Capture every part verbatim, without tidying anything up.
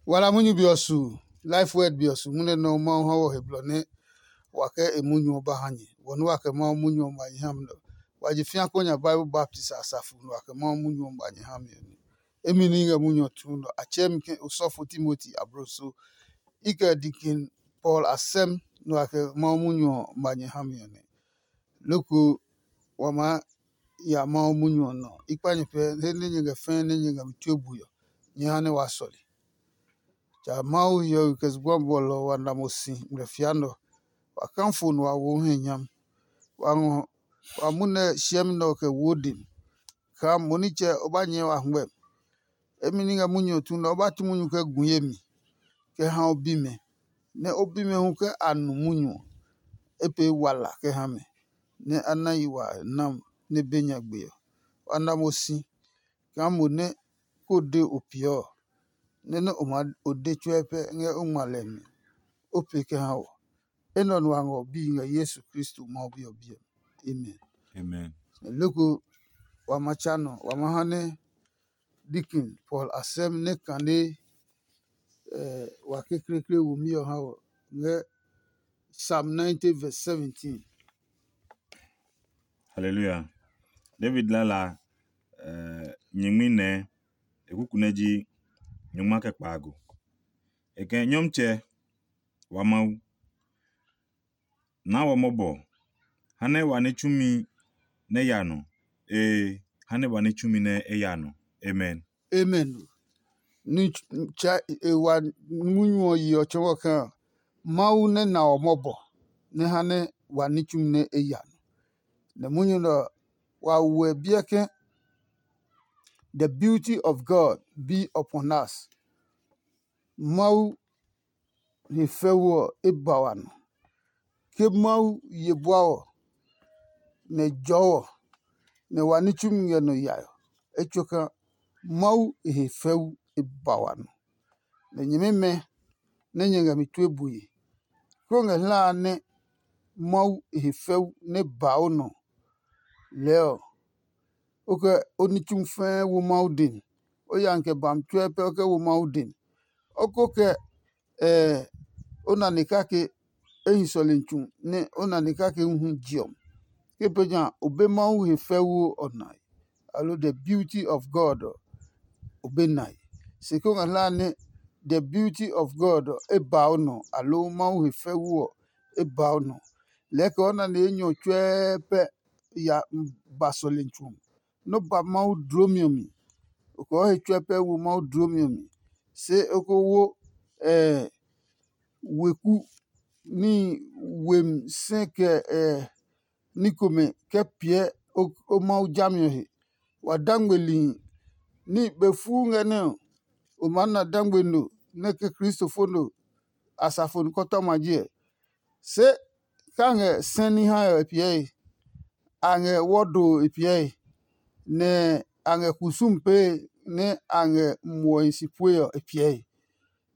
Wala munyu be ɔ su, life word be ɔ su, munɛ nɔ Mawu ha wɔ he blɔ nɛ wa kɛ e munyu ɔ ba ha nyɛ. Wɔ nɛ wa kɛ Mawu munyu ɔ ma nyɛ ha mi nɛ. Wa je fia ko nya Bible baptist a safu nɛ wa kɛ Mawu munyu ɔ ma nyɛ ha mi ɔ nɛ. Emi ní ngɛ munyu ɔ tuu nɔ. A tsɛɛ mi ke osɔfo Timoti abloso. I kɛ dikin Paul a sɛm nɛ wa kɛ Mawu munyu ɔ ma nyɛ ha mi ɔ nɛ. Loko wa maa ya Mawu munyu ɔ nɔ. I kpa nyɛ pɛ he nɛ nyɛ ngɛ fɛɛ nɛ nyɛ ngɛ mi tue bui ɔ, nyɛ ha nɛ wa sɔle. Ja Mawu hiɔwe kɛ zugba bɔlɔ ɔ wa na mo si ngmlɛ fia nɛ ɔ, wa kã fo nɛ wa wo he nyami. Wa ngɔ wa munɛ siɛmi nɛ ɔ kɛ wo dem, kaa mo nitsɛ o ba nyɛɛ wa hwɛ. Emi ní ngɛ munyu ɔ tu nɛ o ba tu munyu kɛ gu ye mi, kɛ ha o bimɛ, nɛ o bimɛ hu ke a nu munyu ɔ, e pee wala kɛ ha mɛ, nɛ a na yi wa nam nɛ be nyagbe ɔ. Wa na mo si kaa mo nɛ ko de o piɛ ɔ, nɛ nɛ o maa o de tsuɛ pɛ ngɛ o ngma lɛ mi, o pee kɛ ha wɔ. Enɛ ɔ nu a ngɔ bi ngɛ Yesu Kristo Mawu Bi ɔ biɛ mi. Amen. Amen. Loko wa ma tsa nɔ, wa ma ha nɛ Deacon Paul a sɛm nɛ kane eh, wa kekleekle womi ɔ ha wɔ ngɛ Psalm ninety verse seventeen. Hallelujah. David lala uh, nyingmi nɛ e kuku nɛ ji nyungma kɛ kpaago. E kɛ Nyɔmtsɛ wa Mawu, naa wɔ mɔbɔ, ha nɛ wa ní tsumi nɛ ya nɔ. Ee, ha nɛ wa ní tsumi nɛ e ya nɔ. Amen. Amen. Ni tsa e wa munyu ɔ yi ɔ tsɔɔ kaa Mawu nɛ na ɔ mɔbɔ nɛ ha nɛ wa ní tsumi nɛ e ya nɔ. Nɛ munyu nɛ ɔ wa wɛ biɛ ke the beauty of God be upon us. Mawu he fɛu ɔ e ba wa nɔ. Ke Mawu ye bua ɔ, nɛ e jɔɔ ɔ, nɛ wa ní tsumi ngɛ nɔ yae ɔ, etsoka Mawu e he fɛu e ba wa nɔ. Nɛ nyɛmimɛ nɛ nyɛ ngɛ mi tue bue, kó ngɛ hla a nɛ Mawu e he fɛu nɛ ba o nɔ lɛɛ ɔ, o kɛ o ní tsumi fɛɛ wo Mawu den. O ya kɛ bami tsuɛ pɛ o kɛ wo Mawu den. O ko kɛ ɛɛ o na ni kake e hi sɔlemi tsu nɛ o na ni kake hu jiɔmi. Ke pɛ ja o be Mawu he fɛuu ɔ nae, aloo the beauty of God ɔ, o be nae. Se ko ngɛ hlae nɛ the beauty of God ɔ e ba o nɔ, aloo Mawu he fɛuu ɔ e ba o nɔ. Lɛɛ kɛ o na ni enyɔ tsuɛɛ pɛ ya ba sɔlemi tsu ɔ, nɔ ba Mawu dlomi ɔ mi. O kɛ o he tsuɛ pɛ wo Mawu dlomi ɔ mi. Se o ko wo ɛɛ weku ní wemi sɛ kɛ ɛɛ ní komɛ kɛ piɛ o Mawu jami ɔ he. Wa dangmelihi ní be fuu ngɛ nɛ ɔ, o maa na dangme no nɛ ke Kristo fo no asafo nukɔtɔma ji ɛ. Se ka ngɛ sɛni hae ɔ e piɛe, a ngɛ wɔdo e piɛe, nɛ a ngɛ kusum pee nɛ a ngɛ muɔhi si pue ɔ e piɛe.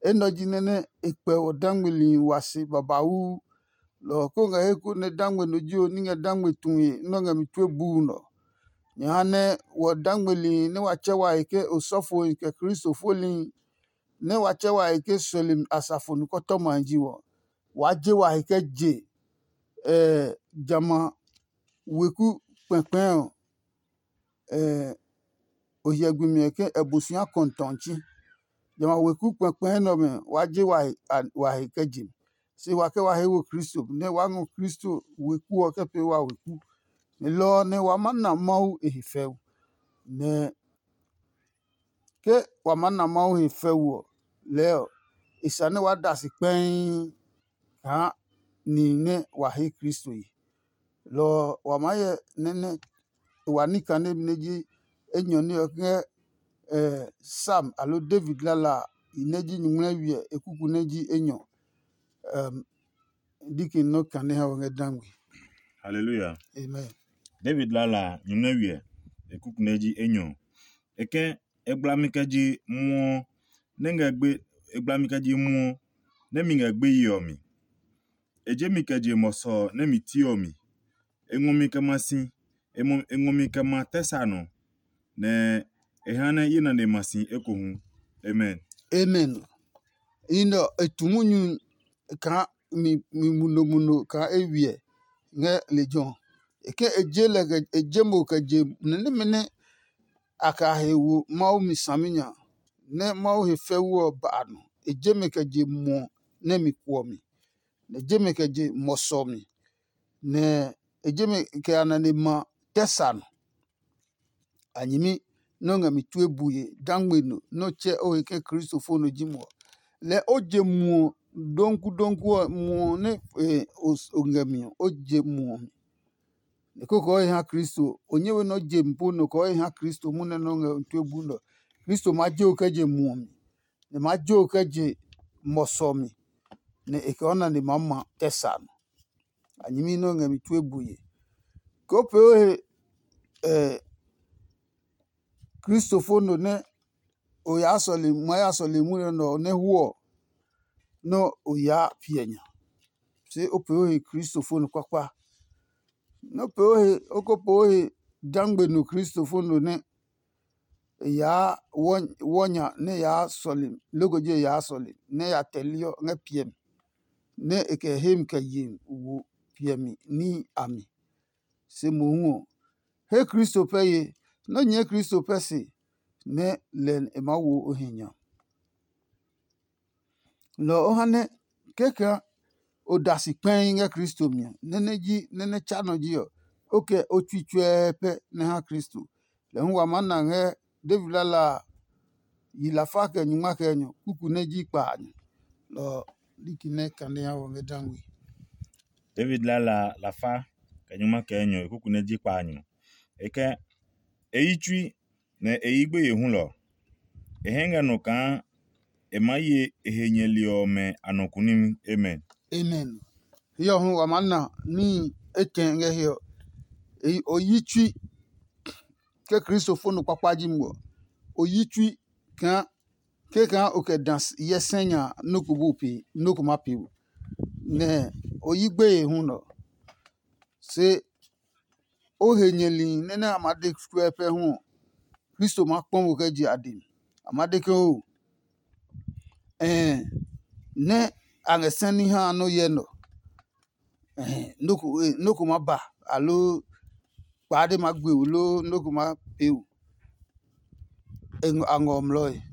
Enɛ ɔ ji nɛ nɛ e kpɛ wɔ dangmelihi wa se babauu. Lɔ ɔ ko ngɛ he ko nɛ dangme no ji ɔ ní ngɛ dangme tue nɛ ɔ ngɛ mi tue buu nɔ. Nyɛ ha nɛ wɔ dangmelihi nɛ wa tsɛ wa he ke osɔfohi kɛ Kristo folihi nɛ wa tsɛ wa he ke sɔlemi asafo nukɔtɔmahi ji wɔ. Waa je wa he kɛ je jamɛ a weku kpɛkpɛɛ ɔ, o hyɛ gbi mi ɔ ke ɛ bu si ha kɔntɔnti. Jamɛ a weku kpɛkpɛɛ nɛ ɔmɛ waa je wa he kɛ je. Se wa kɛ wa he wo Kristo nɛ waa ngɔ Kristo weku ɔ kɛ pee wa weku. Ni lɔ ɔ nɛ wa ma na Mawu e he fɛu. Nɛ ke wa maa na Mawu he fɛu ɔ, lɛɛ ɔ, e sane waa da si kpɛii kaa nihi nɛ wa he Kristo ye. Lɔ ɔ, wa maa hyɛ nɛ nɛ wa ní kane nɛ ji enyɔ ní ɔ ngɛ Sam aloo David lala a, i nɛ ji nyumu nɛ wiɛ e kuku nɛ ji enyɔ. Diki nɔ kane ha wɔ ngɛ dangwe. Hallelujah. Amen. David lala nyumu nɛ wiɛ e kuku nɛ ji enyɔ. E kɛ e gbla mi kɛ je muɔ nɛ ngɛ gbe e gbla mi kɛ je muɔ nɛ mi ngɛ gbeyi ɔ mi. E je mi kɛ je mɔsɔ nɛ mi ti ɔ mi. E ngɔ mi kɛ ma si, e ngɔ mi kɛ ma tɛ sa nɔ, nɛ e ha nɛ ye nane ma si ekohu. Amen. Amen. yi nɛ ɔ, e tu munyu kaa mi mi munomuno kaa e wiɛ ngɛ lejɛ ɔ. E ke e je lɛ kɛ e je mo kɛ je nɛ nɛmɛ nɛ a kɛ a he wo Mawu mi saminya, nɛ Mawu he fɛu ɔ ba a nɔ. E je mɛ kɛ je muɔ nɛ mi kuɔ mi, nɛ e je mɛ kɛ je mɔsɔ mi, nɛ e je mɛ kɛ a nane ma tɛ sa nɔ. A nyɛmi nɛ o ngɛ mi tue bue dangme no nɛ o tsɛ o he ke Kristo fo nɔ ji mo ɔ, lɛɛ o je muɔ donku donku ɔ muɔ nɛ o ngɛ mi ɔ, o je muɔ mi. Nɛ koko ɔ he ha Kristo, o nyɛ we nɛ o je mi po nɔ kɛ ɔ he ha Kristo munɛ nɛ o ngɛ mi tue bu nɔ. Kristo ma je o kɛ je muɔ mi, nɛ ma je o kɛ je mɔsɔ mi, nɛ e kɛ o nane maa ma tɛ sa nɔ. A nyɛmi nɛ o ngɛ mi tue bue. Ke o pee o he Kristo fo no nɛ o yaa sɔle ma ya sɔle munyu nɛ ɔ nɛ hwɔ ɔ, nɛ o yaa piɛ nya. Se o pee o he Kristo fo no kpakpa. Nɛ o pee o he o ko pee o he dangbe no Kristo fo no nɛ e yaa wɔ nya nɛ e yaa sɔle loko je e yaa sɔle nɛ e ya tɛli ɔ ngɛ piɛ mi, nɛ e kɛ he mi kɛ ye wo piɛmi níhi a mi. Se mohu ɔ, he Kristo pɛ ye, nɛ o nyɛɛ Kristo pɛ se, nɛ lɛ e maa wo o he nya. Lɔ ɔ ha nɛ kɛkɛ o da si kpɛi ngɛ Kristo mi ɔ, nɛ nɛ ji nɛ nɛ tsa nɔ ji ɔ, o kɛ o tsui tsuɛɛ pɛ nɛ ha Kristo. Lɛ hu wa maa na ngɛ David lala a yi lafa kɛ nyungma kɛ enyɔ kuku nɛ ji kpa a nyɔ. Lɔ ɔ, liki nɛ kane ha wɔ ngɛ dangwe. David lala a lafa kɛ nyungma kɛ enyɔ e kuku nɛ ji kpa a nyɔ. E kɛ e yi tsui nɛ e yi gbeye hulɔ. E hɛ ngɛ nɔ kaa e maa ye e he nyɛli ɔmɛ a nɔ kunimi. Amen. Amen. Hiɔ hu wa maa na níhi etɛ ngɛ hiɔ. O yi tsui ke Kristo fo nɔ kpakpa ji mo ɔ, o yi tsui kaa ke kaa o kɛ da hyɛ sɛ nya nɔ́ ko bu pee, nɔ́ ko ma pee o. Nɛ o yi gbeye hu nɔ. Se o he nyɛli nɛ nɛ a ma de tsuɛ pɛ hu ɔ, Kristo maa kpɔ mo kɛ je a dɛ mi. A ma de ke oo, ɛɛ nɛ a ngɛ sɛni ha nɔ́ hyɛ nɔ. Nɔ́ ko ma ba, aloo kpaade ma gbe o, loo nɔ́ ko ma pee o. A ngɔ mlɔe.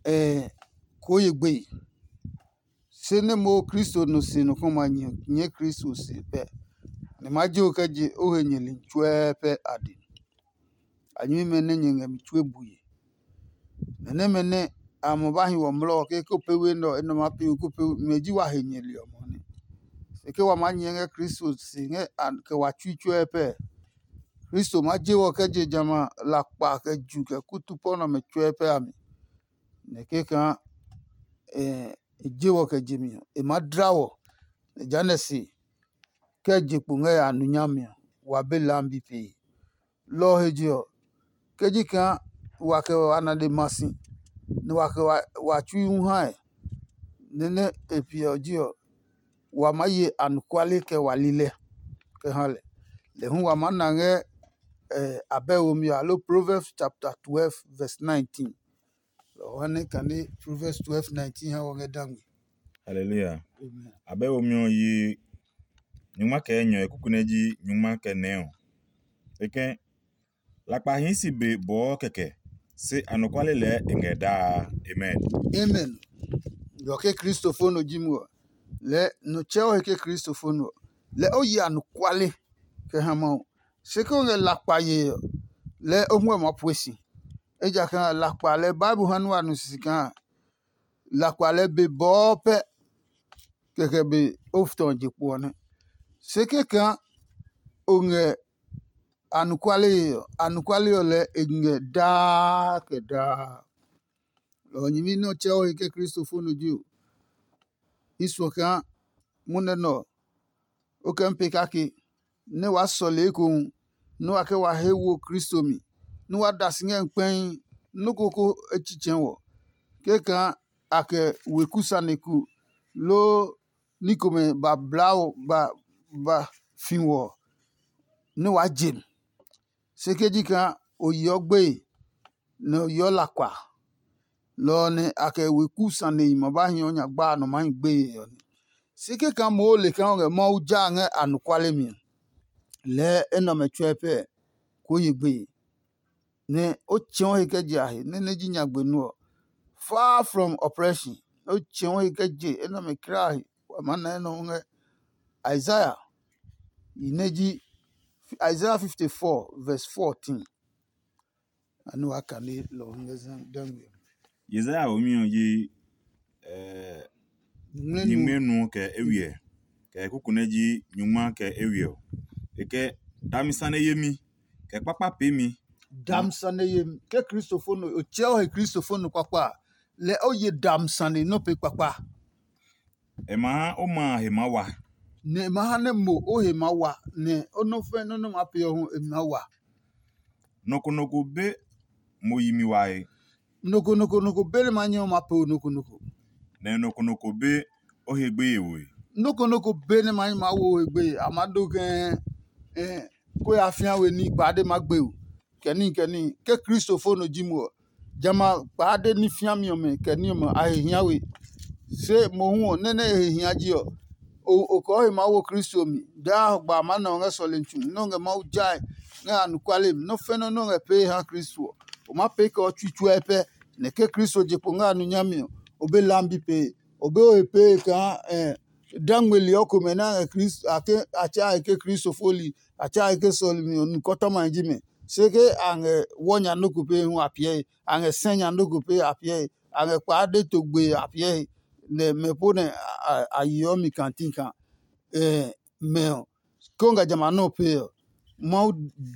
Ɛɛ koo ye gbeye. Se nɛ mo Kristo no si nɔ kɔma nyɛ Kristo se pɛ, nɛ ma je o kɛ je o he nyɛli tsuɛɛ pɛ a din. A nyɛmimɛ nɛ nyɛ ngɛ mi tsuo bue. Nɛ nɛmɛ nɛ a mɔ ba hi wɔ mlɔ ɔ ke ko pɛ we nɛ ɔ, enɛ ɔ maa pee we ko pɛ we, mɛ ji wa he nyɛli ɔ mɔ nɛ. Se ke wa maa nyɛɛ ngɛ Kristo se ngɛ a kɛ wa tsui tsuɛ pɛ, Kristo maa je wɔ kɛ je jamɛ a lakpa kɛ ju kɛ kutu pɔ nɛ ɔmɛ tsuɛ pɛ a mi. Nɛ kɛkaa e je wɔ kɛ je mi ɔ, e maa dla wɔ, nɛ jehanɛ se kɛ je kpo ngɛ a nu nyami ɔ, wa be lambi pee. Lɔ ɔ he je ɔ, ke ji kaa wa kɛ wa nane ma si, nɛ wa kɛ wa tsui hu hae, nɛ nɛ e piɛ ɔ ji ɔ, wa maa ye anɔkuale kɛ wa lilɛ kɛ ha lɛ. Lɛ hu wa maa na ngɛ abɛ womi ɔ, aloo Proverbs chapter twelve verse nineteen. Lɔ ɔ ha nɛ kane Proverbs twelve nineteen ha wɔ ngɛ da ngmi. Hallelujah. Amen. Abɛ womi ɔ yi nyungma kɛ enyɔ e kuku nɛ ji nyungma kɛ nɛ ɔ. E kɛ lakpa hii si be bɔɔ kɛkɛ, se anɔkuale lɛɛ e ngɛ daa. Amen. Amen. Yɔ ke Kristo fo no ji mo ɔ, lɛ no tsɛ o he ke Kristo fo no ɔ, lɛ o yi anɔkuale kɛ ha Mawu. Se ke o ngɛ lakpa yee ɔ, lɛ o huɛ maa pue si. Ejakaa lakpa lɛ Bible ha nua nu sisi kaa lakpa lɛ be bɔɔ pɛ kɛkɛ be o futɔ je kpo ɔ nɛ. Se kɛkaa o ngɛ anɔkuale yee ɔ, anɔkuale ɔ lɛ e ngɛ daa kɛ daa. Lɔ ɔ nyɛmi nɛ ɔ tsɛ o he ke Kristo fo no ji o. I suɔ kaa munɛ nɛ ɔ, o kɛ mi pee kake nɛ waa sɔle ekohu nɛ wa kɛ wa he wo Kristo mi, nɛ wa da si ngɛ kpɛi nɔ́ ko ko e tsitsɛɛ wɔ. Kɛkaa a kɛ weku sane ku loo ní komɛ ba bla o ba ba fi wɔ ɔ, nɛ waa je mi. Se ke ji kaa o yeɔ gbeye, nɛ o yeɔ lakpa, Lɔ ɔ nɛ a kɛ weku sanehi ma ba hiɔ nya gba a nɔ maa hi gbeye ɔ nɛ. Se kɛkaa moo le kaa o ngɛ Mawu ja ngɛ anɔkuale mi ɔ, lɛɛ enɛ ɔmɛ tsuɛ pɛ koo ye gbeye, nɛ o tsɛ̃ɔ he kɛ je a he nɛ nɛ ji nyagbe nú ɔ. Far from oppression, o tsɛ̃ɔ he kɛ je enɛ ɔmɛ kra a he. Wa maa na enɛ ɔ ngɛ Isaiah yi nɛ ji Isaiah fifty-four verse fourteen. Anu wa kane lɔ ɔ ngɛ zan dangwe. Yesaya womi ɔ ji eh, Nyuŋmlɛ nu nyuŋmɛ nu kɛ ewiɛ, kɛ kuku nɛ ji nyungma kɛ ewiɛ ɔ. E kɛ dami sane yemi, kɛ kpakpa peemi. Dam sane yemi ke kristofo no o tsɛ o he kristofo no kpakpa a, lɛ o ye dam sane nɔ pe kpakpa. E ma ha o ma a he maa wa. Nɛ e ma ha nɛ mo o he maa wa, nɛ o nɔ fɛ nɔ́ nɛ ma pe ɔ hu e maa wa. Nɔ ko nɔ ko be mo yi mi wae. Nɔ ko nɔ ko nɔ ko be nɛ ma nyɛ o ma pe o nɔ ko nɔ ko. Nɛ nɔ ko nɔ ko be o he gbeye woe. Nɔ ko nɔ ko be nɛ ma nyɛ ma wo o he gbeye a ma do kɛ eh, ko ya fia we ní kpade ma gbe o. Kɛ ní kɛ ní ke kristofo no ji mo ɔ, jamɛ a kpade ní fiami ɔmɛ kɛ ní ɔmɛ a he hia we. Se mohu ɔ nɛ́ nɛ e he hia ji ɔ, o kɔɔ he maa wo Kristo mi. Daa hɔgba a maa na o ngɛ sɔlemi tsu nɛ o ngɛ Mawu jae ngɛ anɔkuale mi. Nɔ́ fɛnɛ nɛ o ngɛ pee ha Kristo ɔ, o maa pee kɛ o tsui tsuɛ pɛ. Nɛ ke Kristo je kpo ngɛ a nu nyami ɔ, o be lambi pee. O be o he pee kaa dangmeli ɔ komɛ nɛ a ngɛ Kristo a ke a tsa he ke Kristo foli a tsa he ke sɔlemi ɔ nu kɔtɔma ji mɛ. Se ke a ngɛ wɔ nya nɔ́ ko pee hu a piɛ he, a ngɛ sɛ nya nɔ́ ko pee a piɛ he, a ngɛ kpaa de to gbe a piɛ he, nɛ mɛ po nɛ a yeɔ mi kantikan. Mɛ ɔ, ke o ngɛ jamɛ a nɔ́ ɔ pee ɔ, Mawu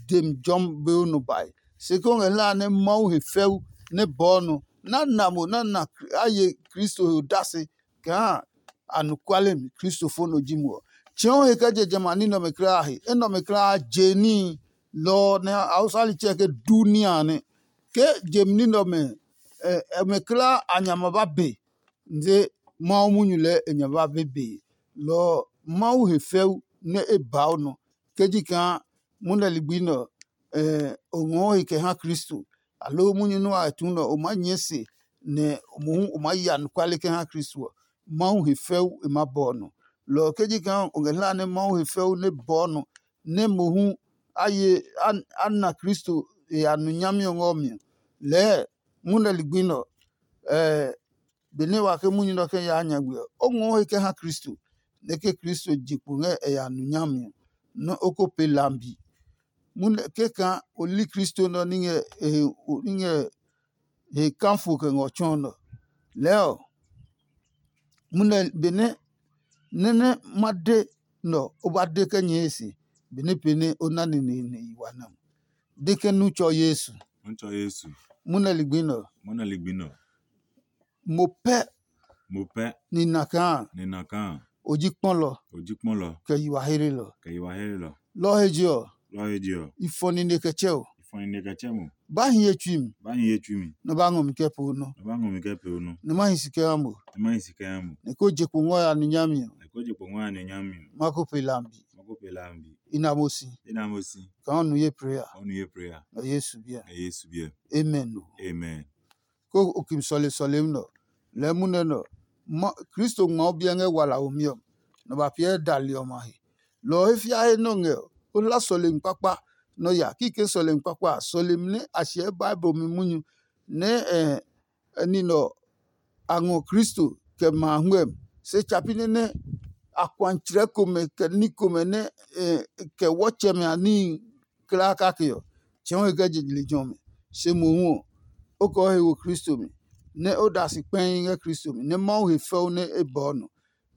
dem jɔmi be o nɔ bae. Se ke o ngɛ hlaa nɛ Mawu he fɛu nɛ bɔɔ nɔ, nɛ a na mo nɛ a na a ye Kristo he odase kaa anɔkuale mi Kristofo nɔ ji mo ɔ, tsɛ̃ɔ he kɛ je jamɛ a ní nɛ ɔmɛ kulaa a he. Enɛ ɔmɛ kulaa a je níhi. Lɔ ɔ nɛ Hausa litsɛ ke duniya nɛ. Ke jemi ní nɛ ɔmɛ ɔmɛ kulaa a nya ma ba be, nde Mawu munyu lɛɛ e nya ba be be. Lɔ ɔ, Mawu he fɛu nɛ e ba o nɔ. Ke ji kaa munɛ ligbi nɛ ɔ, o ngɔɔ he kɛ ha Kristo, aloo munyu nɛ wa tu nɛ ɔ, o maa nyɛɛ se nɛ mohu o maa ya anɔkuale kɛ ha Kristo ɔ, Mawu he fɛu e maa bɔ ɔ nɔ. Lɔ ɔ ke ji kaa o ngɛ hlaa nɛ Mawu he fɛu nɛ bɔ ɔ nɔ, nɛ mohu a ye a na Kristo e ya nu nyami ɔ ngɛ ɔ mi ɔ, lɛɛ munɛ ligbi nɛ ɔ, benɛ wa ke munyu nɛ ɔ kɛ yaa nyagbe ɔ, o ngɔɔ he kɛ ha Kristo, nɛ ke Kristo je kpo ngɛ e ya nu nyami ɔ, nɛ o ko pee lambi. Munɛ kɛkaa o li Kristo nɛ ɔ ní ngɛ e he o ní ngɛ he kafo kɛ ngɛ ɔ tsɔɔ nɛ ɔ. Lɛɛ ɔ, munɛ benɛ nɛ nɛ ma de nɛ ɔ, o ba de kɛ nyɛɛ se, benɛ pee nɛ o na neneene yi wa nɛ ɔ. De ke nu tsɔ Yesu. Nutsɔ Yesu. Munɛ ligbi nɛ ɔ. Munɛ ligbi nɛ ɔ. Mo pɛ Mo pɛ ni na kaa ni na kaa o ji kpɔlɔ o ji kpɔlɔ kɛ yiwa herelɔ. Kɛ yi wa here lɔ. Lɔ ɔ he je ɔ, Lɔ he je ɔ. I fɔ nine kɛ tsɛ o. I fɔ nine kɛ tsɛ mo. Ba hi ye tsui mi, Ba hi ye tsui mi. Nɔ ba ngɔ mi kɛ po nɔ. Nɔ ba ngɔ mi kɛ pe o nɔ. Nɔ ma hi si kɛ ha mo. Nɔ ma hi si kɛ ha mo. Nɛ ko je kpo ngɔ ya nu nyami ɔ. Nɛ ko je kpo ngɔ ya nu nyami ɔ. Ma ko pe lambi. Ma ko pe lambi. I na mo si. I na mo si. Ka ɔ nu ye prayer. Ɔ nu ye prayer. Nɔ Yesu biɛ. Nɛ Yesu biɛ. Amen o. Amen. Ko o kim sɔle sɔlemi nɔ. Lɛɛ munɛ nɔ. Kristo ngma o biɛ ngɛ wala womi ɔ, nɔ ba piɛ dali ɔmɛ a he. Lɔ ɔ he fia he nɔ ngɛ ɔ, o hla sɔlemi kpakpa nɔ ya kikɛ sɔlemi kpakpa a, sɔlemi nɛ a hyɛɛ Bible mi munyu nɛ ɛ nine ɔ a ngɔ Kristo kɛ ma a huɛmi. Se tsa pi nɛ nɛ akuantsrɛ komɛ kɛ ní komɛ nɛ kɛ wɔtsɛmɛ a níhi klaa kake ɔ, tsɛ̃ɔ he kɛ je lejɛ ɔmɛ. Se mohu ɔ, o kɛ o he wo Kristo mi, nɛ o da si kpɛhi ngɛ Kristo mi, nɛ Mawu he fɛu nɛ e bɔɔ nɔ,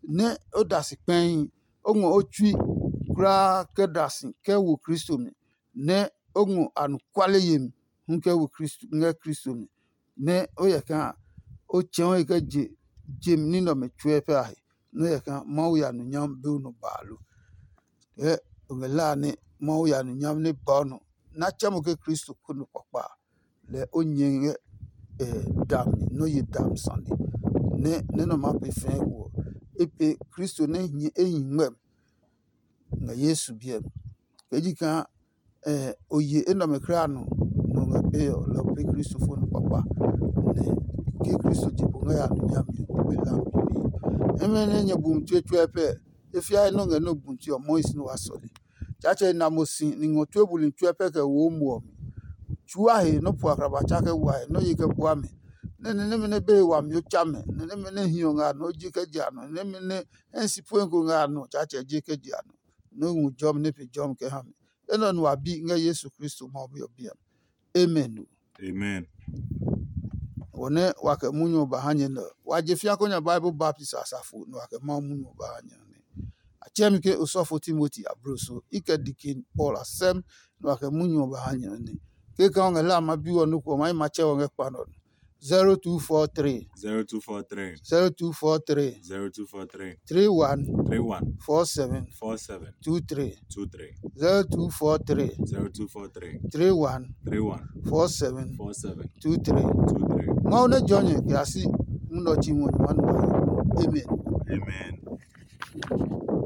nɛ o da si kpɛhi, o ngɔ o tsui kulaa kɛ da si kɛ wo Kristo mi, nɛ o ngɔ anɔkuale yemi hu kɛ wo Kristo ngɛ Kristo mi, nɛ o hyɛ kaa o tsɛ̃ɔ he kɛ je je ní nɛ ɔmɛ tsuɛ pɛ a he, nɛ o hyɛ kaa Mawu ya nɔ nyami be o nɔ baa lo. Kɛ o ngɛ la a nɛ Mawu ya nɔ nyami nɛ ba o nɔ, nɛ a tsɛ mo ke Kristo ko nɔ kpakpa a, lɛ o nyɛ ngɛ dami nɛ o ye dami sane, nɛ nɛ nɛ ɔ maa pee fɛɛ ɔ, e pee Kristo nɛ e hi ngmɛmi ngɛ Yesu biɛ mi. Kɛ ji kaa o ye enɛ ɔmɛ kulaa nɔ nɔ ngɛ pee ɔ, lɔ pee Kristo fo nɔ kpakpa, nɛ ke Kristo je kpo ngɛ ya nɔ nyami ɔ be lambi. Imi nɛ nyɛ bumi tsuɛ tsuɛ pɛ, e fiae nɔ ngɛ nɔ bumi tsuɛ ɔ mɔi si nɛ wa sɔle. Tsaatsɛ na mo si ni ngɔ tue buli tsuɛ pɛ kɛ wo mo ɔ mi. Tsua he nɔ pua kraba tsa kɛ wa he nɔ ye kɛ bua mɛ. Nɛ ni nɛmɛ nɛ be he wami o tsa mɛ, ni nɛmɛ nɛ hiɔ ngɛ a nɔ ji kɛ je a nɔ, ni nɛmɛ nɛ hɛ si pue ko ngɛ a nɔ Tsaatsɛ je kɛ je a nɔ. Nɔ hu jɔmi nɛ pe jɔmi kɛ ha mi. Enɛ ɔ nu a bi ngɛ Yesu Kristo Mawu Bi ɔ biɛ mi. Amen. Amen. Wɔ nɛ wa kɛ munyu ɔ ba ha nyɛ nɛ ɔ, wa je fia konyaa Bible baptist asafo nɛ wa kɛ Mawu munyu ɔ ba ha nyɛ ɔ nɛ. A tsɛɛ mi ke osɔfo Timoti abloso, i kɛ dikin Paul asɛm nɛ wa kɛ munyu ɔ ba ha nyɛ ɔ nɛ. Kekã ɔ ngɛ la a ma bi ɔ nɔ́ ko ɔ ma yi ma tsɛ ɔ ngɛ kpa nɔ. Zero two four three. Zero two four three. Zero two four three. Zero two four three. Three one. Three one. Four seven. Four seven. Two three. Two three. Zero two four three. Zero two four three. Three one. Three one. Four seven. Four seven. Two three. Two three. Mawu nɛ jɔ nyɛ kɛ a si munɔ tsi ŋɔ nyɛ ma nɔ. Amen. Amen.